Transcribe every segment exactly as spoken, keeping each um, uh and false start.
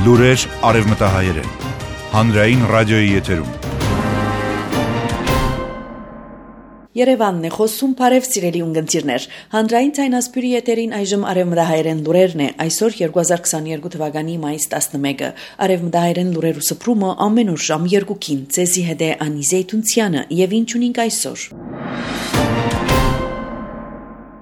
Լուրեր արևմտահայերեն։ Հանրային ռադիոյի եթերում։ Երևանն է խոսում, բարև սիրելի ունգընտիրներ։ Հանրային ցայնասպյուրի եթերին այժմ արևմտահայերեն լուրերն է։ Այսօր երկու հազար քսաներկու թվականի մայիս տասնմեկը։ Արևմտահայերեն լուրերու սփռումը ամեն օր ժամ երկուքին։ Ցեզի հետ է Անիզե Տունցյանը եւ ինչ ունենք այսօր։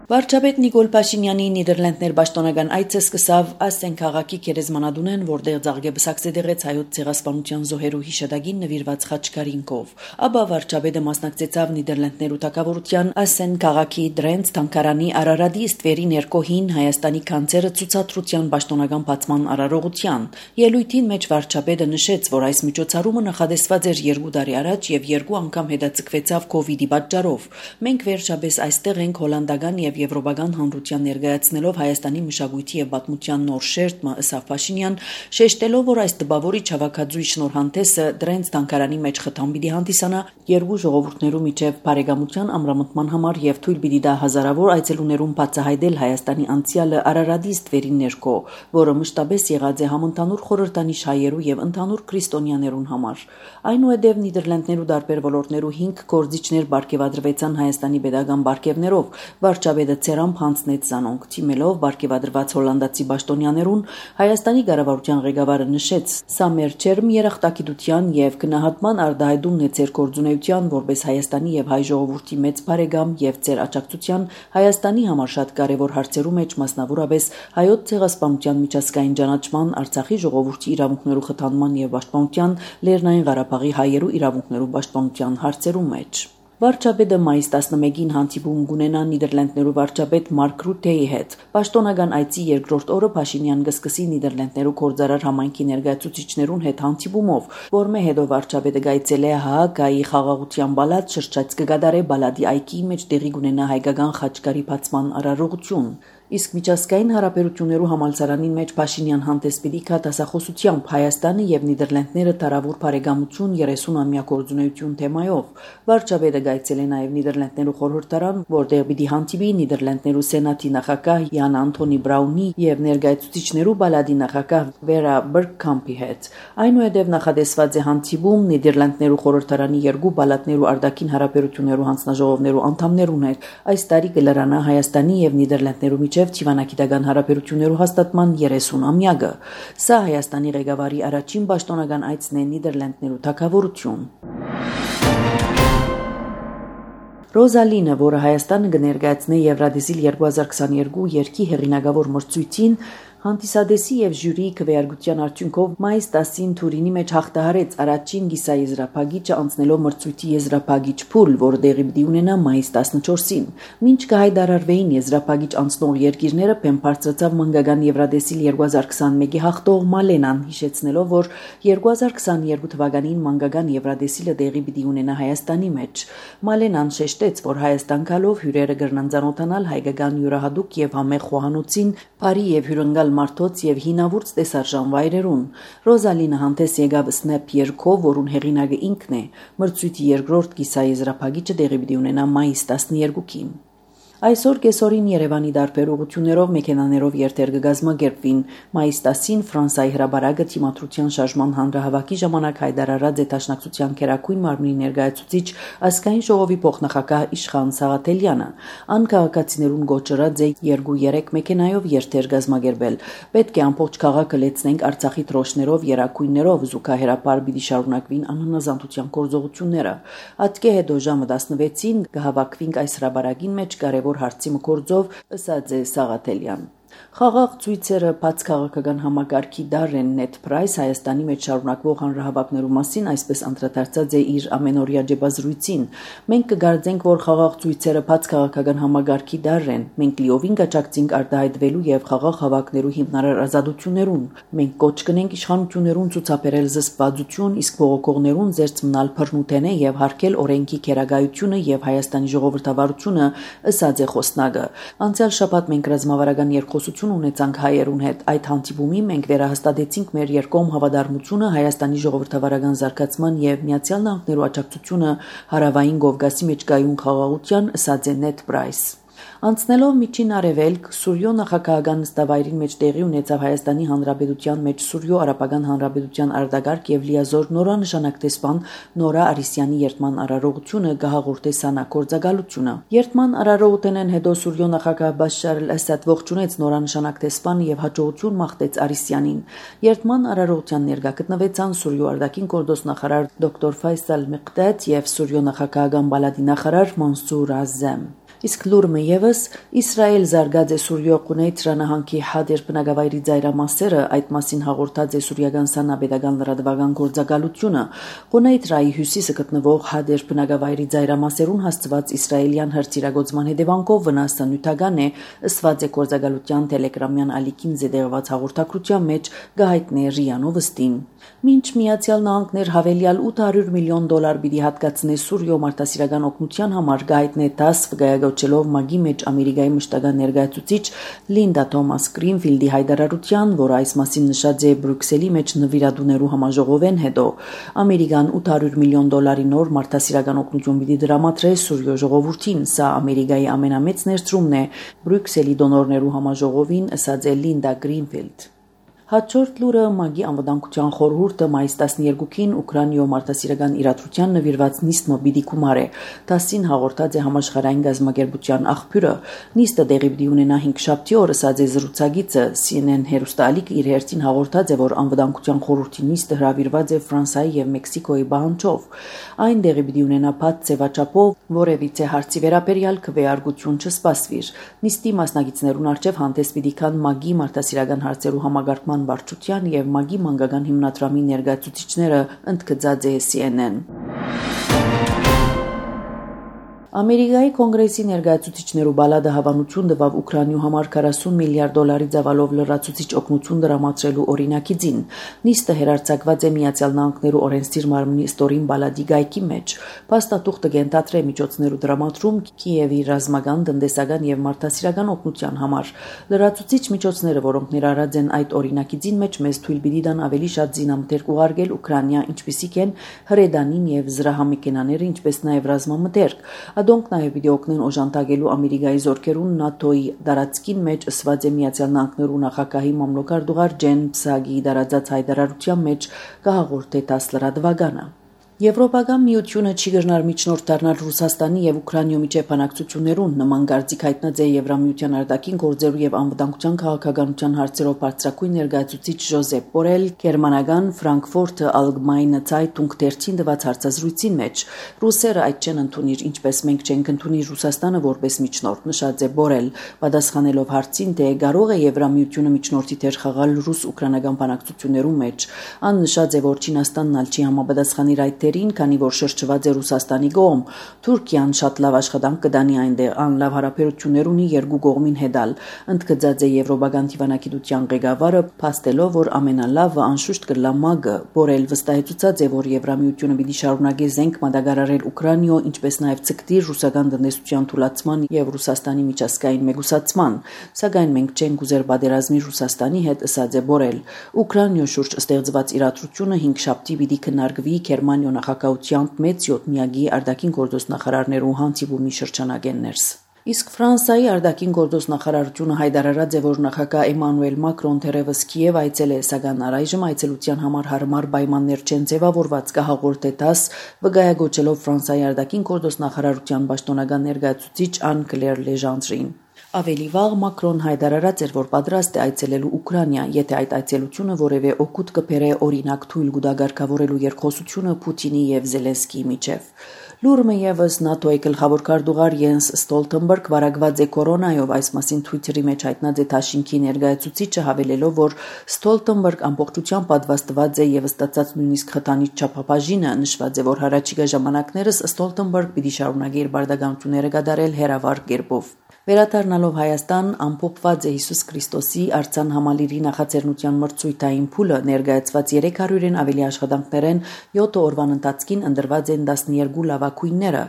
Վարչապետ Նիկոլ Փաշինյանի Նիդերլանդներ պաշտոնական այցը սկսավ Ասեն քաղաքի գերեզմանատունեն, որտեղ Զարգեբսակցե դեղեց հայոց ցեղասպանության զոհերու հիշադակին նվիրված խաչքարինքով։ Ապա վարչապետը մասնակցեցավ Նիդերլանդներու թագավորության Ասեն քաղաքի Դրենց թանգարանի Արարատի ստվերի ներկոհին Հայաստանի կանցերը ցուցադրության պաշտոնական բացման արարողության։ Ելույթին մեջ վարչապետը նշեց, որ այս միջոցառումը նախադեсված էր երկու տարի առաջ եւ երկու անգամ հետաձգվեցավ կոവിഡ്ի պատճառով։ Մենք վերջապես այստեղ ենք հոլանդական եւ Եվրոպական հանրության ներկայացնելով Հայաստանի մշակույթի եւ պատմության նոր շերտը, ըստ Փաշինյան, շեշտելով, որ այս տպավորիչ հավաքածուի շնորհանդեսը Դրենց թանգարանի մեջ խթան պիտի հանդիսանա երկու ժողովուրդներու միջև բարեկամության ամրամտման համար եւ թույլ պիտի դա հազարավոր այցելուներուն բացահայտել Հայաստանի անցյալը Արարատի ստվերի ներքո, որը մշտապես եղած է համընդհանուր խորհրդանիշ հայերու եւ ընդհանուր քրիստոնյաներուն համար։ Այնուհետև Նիդերլանդներու դարբեր ոլորտներու հինգ գործիչներ բարգեւադրվեցան Հայաստանի pedagogan բարգեւներով, վարչապետը ցերամփ հանձնեց զանոնք թիմելով բարգեւադրված հոլանդացի պաշտոնյաներուն։ Հայաստանի կառավարության ղեկավարը նշեց. «Սա մեր ջերմ երախտագիտության եւ գնահատման արտահայտումն է ձեր գործունեության որպես Հայաստանի եւ հայ ժողովրդի մեծ բարեկամ եւ ձեր աջակցության Հայաստանի համար շատ կարեւոր հարցերու մեջ, մասնավորապես հայոց ցեղասպանության միջազգային ճանաչման, Արցախի ժողովրդի իրավունքներու խթանման եւ պաշտպանության, Լեռնային Ղարաբաղի հայերու իրավունքներու պաշտպանության հարցերու մեջ»։ Վարչապետը մայիս տասնմեկին հանդիպում կունենա Նիդերլանդներու վարչապետ Մարկ Ռութեի հետ։ Պաշտոնական այցի երկրորդ օրը Փաշինյան կսկսի Նիդերլանդներու գործարար համայնքի ներկայացուցիչներուն հետ հանդիպումով, որմե հետո վարչապետը գայցել է Հաագայի խաղաղության բալադ շրջած կգադարե բալադի այգի մեջ տեղի կունենա հայկական խաչքարի բացման արարողություն։ Իսկ միջազգային հարաբերություններու համալսարանին մեջ Փաշինյան հանդես պիտի գա դասախոսությամբ Հայաստանը եւ Նիդերլանդները տարավոր բարեկամություն երեսուն-ամյա գործունեություն թեմայով։ Վարչապետը գայցել է նաեւ Նիդերլանդներու խորհրդարան, որտեղ պիտի հանդիպի Նիդերլանդներու սենատի նախագահ Յան Անթոնի Բրաունի եւ ներկայացուցիչներու բալադի նախագահ Վերա Բերգքամփի հետ։ Այնուհետև նախադեсված է հանդիպում Նիդերլանդներու խորհրդարանի երկու բալատներու արտաքին հարաբերություններու հանձնաժողովներու անդամներուն հետ։ Այս տարի կլրանա Հայաստանի եւ Նիդերլանդներու Թիվանագիտական հարաբերություններու հաստատման երեսուն-ամյակը։ Սա Հայաստանի ղեկավարի առաջին պաշտոնական այցն է Նիդերլանդներու թագավորություն։ Ռոզալինը, որը Հայաստանը կներկայացնի Եվրադեսիլ երկու հազար քսաներկու երկի հեղինակավոր մրցույթին, հանդիսադեսի եւ ժյուրիի քվեարկության արդյունքով մայիս տասին Թուրինի մեջ հաղթահարեց առաջին գիսաեզրափակիչը անցնելով մրցույթի եզրափակիչ փուլ, որը տեղի պիտի ունենա մայիս տասնչորսին։ Մինչ կհայտարարվեին եզրափակիչ անցնող երկիրները, բեմ բարձրացավ մանկական Եվրադեսիլ երկու հազար քսանմեկի հաղթող Մալենան, հիշեցնելով, որ երկու հազար քսաներկու թվականին մանկական Եվրադեսիլը տեղի պիտի ունենա Հայաստանի մեջ։ Մալենան շեշտեց, որ Հայաստան գալով հյուրերը կրնան ծանոթանալ հայկական յուրահատուկ եւ համեղ խոհանոցին, բարի եւ հյուրընկալ մարդոց եւ հինավուրց տեսարժան վայրերուն։ Ռոզալինը հանդես եկավ Snap երգով, որուն հեղինակը ինքն է։ Մրցույթի երկրորդ կիսաեզրափակիչը տեղի պիտի ունենա մայիս տասներկուին։ Այսօր կեսօրին Երևանի դարբեր ուղղություններով մեքենաներով երթեր կգազմագերբվին։ Մայիս տասին Ֆրանսիայի հրաբարակը Թիմադրության շարժման հանրահավաքի ժամանակ հայտարարած է Դաշնակցության քերակույն մարմնի ներկայացուցիչ ազգային ժողովի փոխնախագահ Իշխան Սաղաթելյանը։ Ան քաղաքացիներուն գոչրած է երկու-երեք մեքենայով երթեր գազմագերբել։ Պետք է ամբողջ քաղաքը լեցնենք Արցախի դրոշներով, երակույններով, զուգահեռապար պիտի շարունակվին անհնազանդության գործողությունները։ Ատկե հետո ժամը տասնվեցին կհավաքվինք այս հրաբարակին մեջ կարևոր հարցի մկործով, ըսած է Սաղաթելյան։ Խաղաղ ցույցերը բաց քաղաքական համագարքի դարեն Net Price Հայաստանի մեջ շարունակվող հանրահավաքներու մասին այսպես անդրադարձած է իր ամենօրյա ջեբազրույցին։ Մենք կգարձենք, որ խաղաղ ցույցերը բաց քաղաքական համագարքի դարեն։ Մենք լիովին կճակցենք արտահայտվելու եւ խաղաղ հավաքներու հիմնարար ազատություններուն։ Մենք կոչ կնենք իշխանություններուն ցուցաբերել զսպվածություն, իսկ բողոքողներուն զերծ մնալ բռնութենե եւ հարգել օրենքի քերագայությունը եւ Հայաստանի ժողովրդավարությունը, ըսած է խոսնակը։ Անցյալ շաբաթ մենք ռազմավարական երկխոսություն ունեցանք հայերուն հետ։ Այդ հանդիպումի մենք վերահաստատեցինք մեր երկկողմ հավատարմությունը Հայաստանի ժողովրդավարական զարգացման եւ Միացյալ Նահանգներու աջակցությունը հարավային Կովկասի մեջ կայուն խաղաղության, ըսած է Net Price։ Անցնելով միջին արևելք, Սուրյո նախագահական նստավայրին մեջ տեղի ունեցավ Հայաստանի Հանրապետության մեջ Սուրյո Արաբական Հանրապետության արտագարկ եւ լիազոր նորանշանակ տեսփան Նորա Արիսյանի երթման արարողությունը գահաղորդե սանա կորձագալությունը։ Երթման արարողութենեն հետո Սուրյո նախագահ Բաշար al-Ասադ ողջունեց նորանշանակ տեսփանը եւ հաջողություն մաղթեց Արիսյանին։ Երթման արարողության ներկա գտնվեցան Սուրյո արտաքին գործ նախարար դոկտոր Ֆայսալ Մեղդադ եւ Սուրյո նախագահական բալադի նախարար Մանսուր Ազեմ։ Իսկ լուրը եւս Իսրայել զարգած է Սուրյո Ղունեյթ նահանգի Հադեր բնակավայրի ծայրամասերը, այդ մասին հաղորդած է Սուրիական Սանաբեդական լրատվական գործակալությունը։ Ղունեյթրայի հյուսիսը գտնվող Հադեր բնակավայրի ծայրամասերուն հասցված իսրայելյան հրթիռագործման հետևանքով վնասը նյութական է, ըսված է գործակալության տելեգրամյան ալիքին զետեղված հաղորդակցության մեջ գահիտնե Ռիանով ըստին։ Մինչ Միացյալ Նահանգներ հավելյալ ութ հարյուր միլիոն դոլար պիտի հատկացնե Սուրյո մարդասիրական օգնության համար գահիտնե դաս վկայակոչելով ՄԱԳ-ի մեջ Ամերիկայի մշտական ներկայացուցիչ Լինդա Թոմաս Գրինֆիլդի հայտարարության, որը այս մասին նշած է Բրյուսելի մեջ նվիրատուներու համաժողովեն հետո, Ամերիկան ութ հարյուր միլիոն դոլարի նոր մարդասիրական օգնություն պիտի դրամատրե Սուրյո ժողովրդին, սա Ամերիկայի ամենամեծ ներդրումն է Բրյուսելի դոնորներու համաժողովին, ըսած է Լինդա Գրինֆիլդ։ Հաջորդ լուրը ՄԱԳ-ի անվտանգության խորհուրդը մայիս տասներկուին Ուկրաինայում մարդասիրական իրադրության նվիրված նիստը պիտի գումարե։ Տասին հաղորդած է համաշխարհային գազམ་ագերբության աղբյուրը։ Նիստը տեղի պիտի ունենա հինգշաբթի օրը, ըսած է զրուցակիցը C N N հեռուստաալիքը իր հերթին հաղորդած է, որ անվտանգության խորհրդի նիստը հրավիրված է Ֆրանսիայի եւ Մեքսիկոյի բանջով։ Այն տեղի պիտի ունենա փաթ ձևաչափով, որևիցե հարցի վերաբերյալ քվեարկություն չսպասվիր։ Նիստի մասնակիցներուն արչեւ հանդես պիտի կան ՄԱԳ-ի մարդասիրական հարցերու համագարկման վարչության եւ ՄԱԳ-ի մանկական հիմնադրամի ներկայացուցիչները, ընդգծած է C N N։ Ամերիկայի կոնգրեսի ներկայացուցիչներու բալադը հավանություն տվավ Ուկրաինայու համար քառասուն միլիարդ դոլարի ծավալով լրացուցիչ օգնություն դրամատրելու օրինակիցին։ Նիստը հերարցակված է Միացյալ Նահանգներու օրենսդիր մարմնի ստորին բալադի գայքի մեջ։ Փաստաթուղթը կենտրոնացրե միջոցներու դրամատրում Կիևի ռազմական, տնտեսական եւ մարդասիրական օգնության համար։ Լրացուցիչ միջոցները, որոնք ներառած են այդ օրինակիցին մեջ, մեզ թույլ պիտի տան ավելի շատ զինամթերք ուղարկել Ուկրաինա, ինչպիսիք են հրեդանին եւ զրահամեքենաները, ինչպես նաեւ ռազմամթերք։ Ադոնք նաև պիտի օգնեն օժանդակելու Ամերիկայի զորքերուն ՆԱՏՕ-ի դարածքին մեջ, ըսված է Միացյալ Նահանգներու նախագահի մամլոքարտուղար Ջեն Փսագի դարածած հայտարարության մեջ կհաղորդե տաս լրատվականը։ Եվրոպական միությունը չի գնար միջնորդ դառնալ Ռուսաստանի եւ Ուկրաինայու միջև բանակցություններուն, նման գարցիկ հայտնած է Եվրամիության արտաքին գործերու եւ անվտանգության քաղաքականության հարցերով բարձրակույն ներկայացուցիչ Ժոզեփ Բորել գերմանական Ֆրանկֆուրտը Allgemeine Zeitung թերթին տված հարցազրույցին մեջ։ Ռուսերը այդ չեն ընդունիր, ինչպես մենք չենք ընդունիր Ռուսաստանը որպես միջնորդ, նշած է Բորել, պատասխանելով հարցին, թե կարող է Եվրամիությունը միջնորդի դեր խաղալ ռուս-ուկրաինական բանակցություններու մեջ։ Ան նշած է, որ Չինաստանն ալ չի համապատասխանիր այդ քանի որ շրջված է Ռուսաստանի կողմ։ Թուրքիան շատ լավ աշխատանք կդանի այնտեղ, անլավ հարաբերություններ ունի երկու կողմին հետալ, ընդգծած է Եվրոպական դիվանագիտության ղեկավարը, փաստելով, որ ամենալավը անշուշտ կլա ՄԱԳ-ը։ Բորել վստահեցուցած է, որ Եվրամիությունը պիտի շարունակի զենք մատակարարել Ուկրաինայու, ինչպես նաև ցկտի ռուսական տնտեսության թուլացման եւ Ռուսաստանի միջազգային մեգուսացման։ Սակայն մենք չենք ուզեր պատերազմի Ռուսաստանի հետ, ըսած է Բորել։ Ուկրաինայու շուրջ ստեղծված իրադրությունը հինգշաբթի պիտի քննարկվի Գերմանիա նախագահությամբ մեծ յոթնյակի արտաքին գործոս նախարարներու հանդիպումի շրջանակներս։ Իսկ Ֆրանսիայի արտաքին գործոս նախարարությունը հայտարարած է, որ նախագահ Էմանուել Մակրոն թերևս Կիև այցել է, սակայն առայժմ այցելության համար հարմար պայմաններ չեն ձևավորված, կհաղորդե տաս վկայակոչելով Ֆրանսիայի արտաքին գործոս նախարարության պաշտոնական ներկայացուցիչ Ան Կլեր Լեժանտրին։ Ավելի վաղ Մակրոն հայտարարած էր, որ պատրաստ է այցելելու Ուկրաինա, եթե այդ այցելությունը որևէ օգուտ կբերե օրինակ թույլ գուտագարկավորելու երկխոսությունը Պուտինի եւ Զելենսկիի միջև։ Լուրը եւս ՆԱՏՕ-ի գլխավոր քարտուղար Յենս Ստոլտենբերգ վարակված է կորոնայով, այս մասին Twitter-ի մեջ հայտնած է Թաշինքի ներկայացուցիչը, հավելելով, որ Ստոլտենբերգ ամբողջությամբ պատվաստված է եւ ստացած նույնիսկ խթանիչ չափաբաժինը, նշված է, որ հարաճիգա ժամանակներս Ստոլտենբերգ պիտի շարունակի իր բարդականությունները կատարել հերավար կերպով։ Վերադառնալով Հայաստան, ամփոփված է Հիսուս Քրիստոսի արձան համալիրի նախաձեռնության մրցույթային փուլը, ներկայացված երեք հարյուրին ավելի աշխատանքներեն յոթ օրվան ընթացքին ընտրված են տասներկու լավագույն խաղակույնները,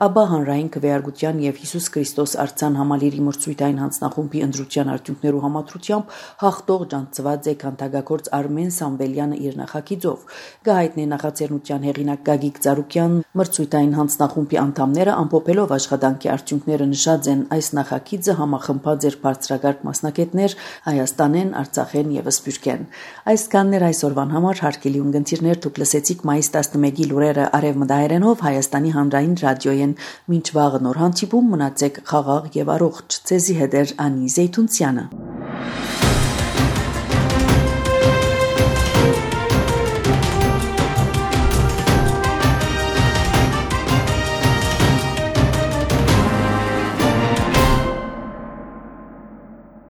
ապա հանրային քվեարկության եւ Հիսուս Քրիստոս արձան համալիրի մրցույթային հանձնախումբի ընտրության արդյունքներու համաձայնությամբ հաղթող ջանցված է քանդակագործ Արմեն Սամվելյանը իր նախագիծով։ Գահիտնի նախաձեռնության հեղինակ Գագիկ Ծառուկյան մրցույթային հանձնախումբի անդամները ամփոփելով աշխատանքի արդյունքները նշած են այս նախագիծը համախմբած էր բարձրագարկ մասնակիցներ Հայաստանեն, Արցախեն եւ Սփյուռքեն։ Այսքանն էր այսօրվան համար հարգելի ունգընտիրներ, դուք լսեցիք մայիս տասնմեկի լուրերը արևմտահայերենով Հայաստանի հանրային ռադիոյեն։ Մինչ վաղը նոր հանդիպում մնացեք խաղաղ եւ առողջ։ Ցեզի հետ էր Անի Զեյթունցյանը։